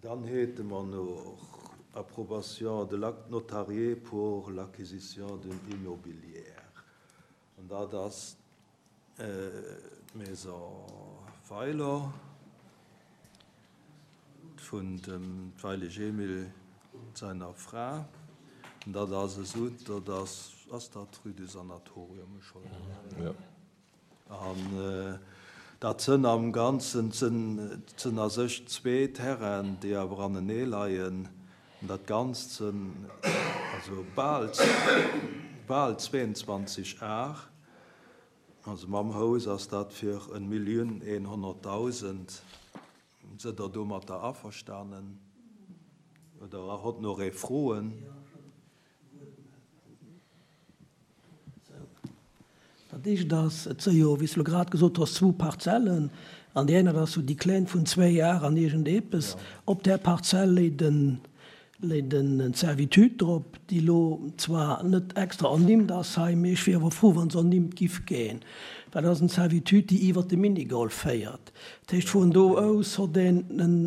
Dann hate mer nach Approbation de l'acte notarié pour l'acquisition d'une immobilière. An dat ass d'Maison Weiler vun dem Weilig Emil seiner Fra. An dat ass esou, dat ass, ass dat d'Rue du Sanatorium? Ech hoffen. An dat sënn am Ganzen sënn a sech zwee Terrainen, déi awer anenee leien. An dat Ganzt sënn also bal, bal 22 Ar. Also mam Hous ass dat fir en Millioun 100.000. Sëdd Der domatter averstanen oder hott nach ee Froen? Dat éischt ass, et si jo, wéi s de elo grad gesot hues, zwou Parzellen. An déi eng, dat ass jo déi kleng vun zwéi Ar an iergendepes. Op där Parzell léit en, léit en Servitude drop, déi elo zwar net extra ernimmt ass hei, mee ech wier awer frou, wa se ernimmt giff ginn, well dat ass en Servitude, déi iwwert de Minigolf féiert. Dat heescht, vun do aus hott een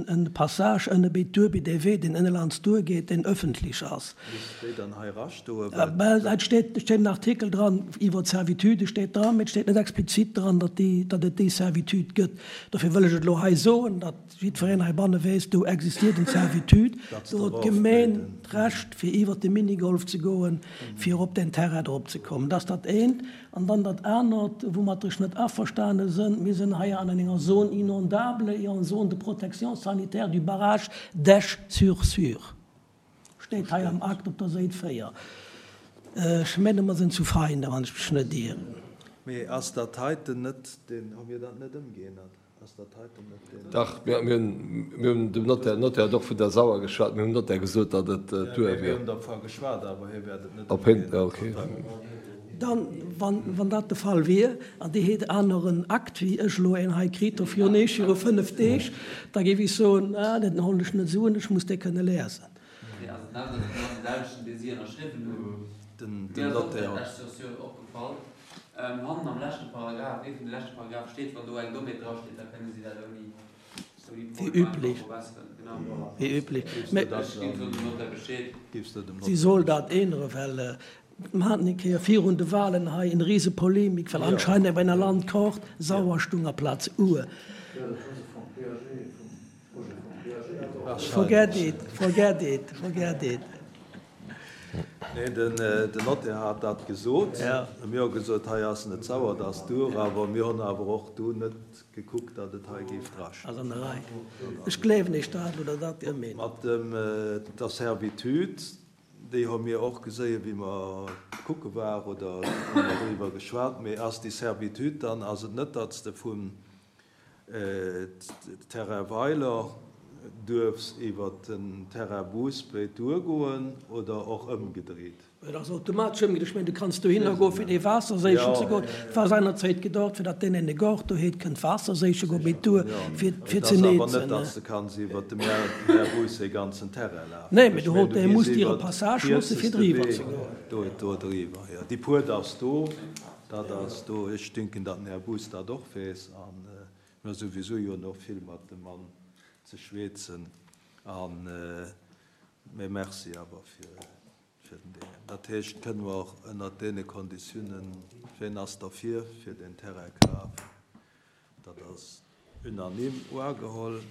en Passage ënne béi d'Duer, béi dee Wee, deen ënnelands duergeet, deen ëffentlech ass. Misst déi dann hei erastoen? Well et steet, et steet en Artikel dran iwwer d'Servitude steet dran, mee et steet net explizit dran, datt déi, datt et déi Servitude gëtt. Dofir wëll ech et elo hei soen, datt jiddwereen heibanne weess, do existiert en Servitude, do huet d'Gemeen d'Recht, fir iwwert de Minigolf ze goen, fir op deen Terrain drop ze kommen. Dat ass dat eent. An dann dat anert, woumat ech net averstane sënn, Mir sinn hei an enger Zone inondable et en zone de protection sanitaire du barrage d'Esch-sur-Sûre. Steet hei am Akt op der Séit 4. Ech menge mer sinn zu Veinen, wann ech mech net ieren. Mee ass dat heiten net deen, hu mir dat net ëmgeännert? Ass dat heiten net deen? Dach, mir hunn dem Notaire, den Notaire huet och vun der Sauer geschwat, mir hunn dem Notaire gesot, datt et duer wier. Mir hunn dervu geschwat, awer hie wäert et net ëmgeännert. Dann, wann dat de Fall wier, an Dir hätt aneren Akt wéi ech elo een hei kritt hu virun eech, viru 5 Deeg, da géif ech soen, ah, dat holl ech net esou un, ech muss dee kënne lesen. Wéi üblech. Wéi üblech. Mä si soll dat änneren, well Mer haten eng Kéier virun de Wahlen hei en riese Polemik, well anscheinend op enger Landkaart Sauer stung aplaz Our. Forget it, forget it, forget it. Nee, den Notaire hat dat gesot. Mir hu gesot, hei ass net sauer, dat ass d'Our. Awer mir hunn awer och du net gekuckt, datt et hei géif drastoen. Ass an der Rei. Ech gleewen Iech dat oder dat Dir meent. Mat der Servitude, Déi hu mir och geséien, wéi mer kucke war oder hu mer driwwer geschwat. Mee ass déi Servitude dann, ass et net, datt s de vum Terrain Weiler duerfs iwwer den Terrain Bousbéit duergoen oder och ëmgedreet? Et ass automatesch ëmgedreet. Ech mengen, du kanns dohinner goen, fir dee Waasser séichen ze goen. Et war seinerzäit gedacht, fir datt deen een e Gaart do huet, kënnt Waasser séiche goen, mee d'Tour fir Et ze ass awer net, neezen. datt s de kanns iwwer dem Här Buus säi ganzen Terrain lafen. Nee, mee du hol, dee muss dir e Passage loosse fir driwwer ze goen. Do, do driwwer, jo. Déi Puert ass do, dat ass do. Ech denken, datt den Här Buus dat och weess. A mir hu souwisou jo nach vill mat dem Mann ze schweezen. An, mee merci awer fir. Fir den Deen. Dat heescht, kënne mer och ënnert deene Konditiounen, ween ass derfir, fir deen Terrainkaf? Dat ass unanime uageholl.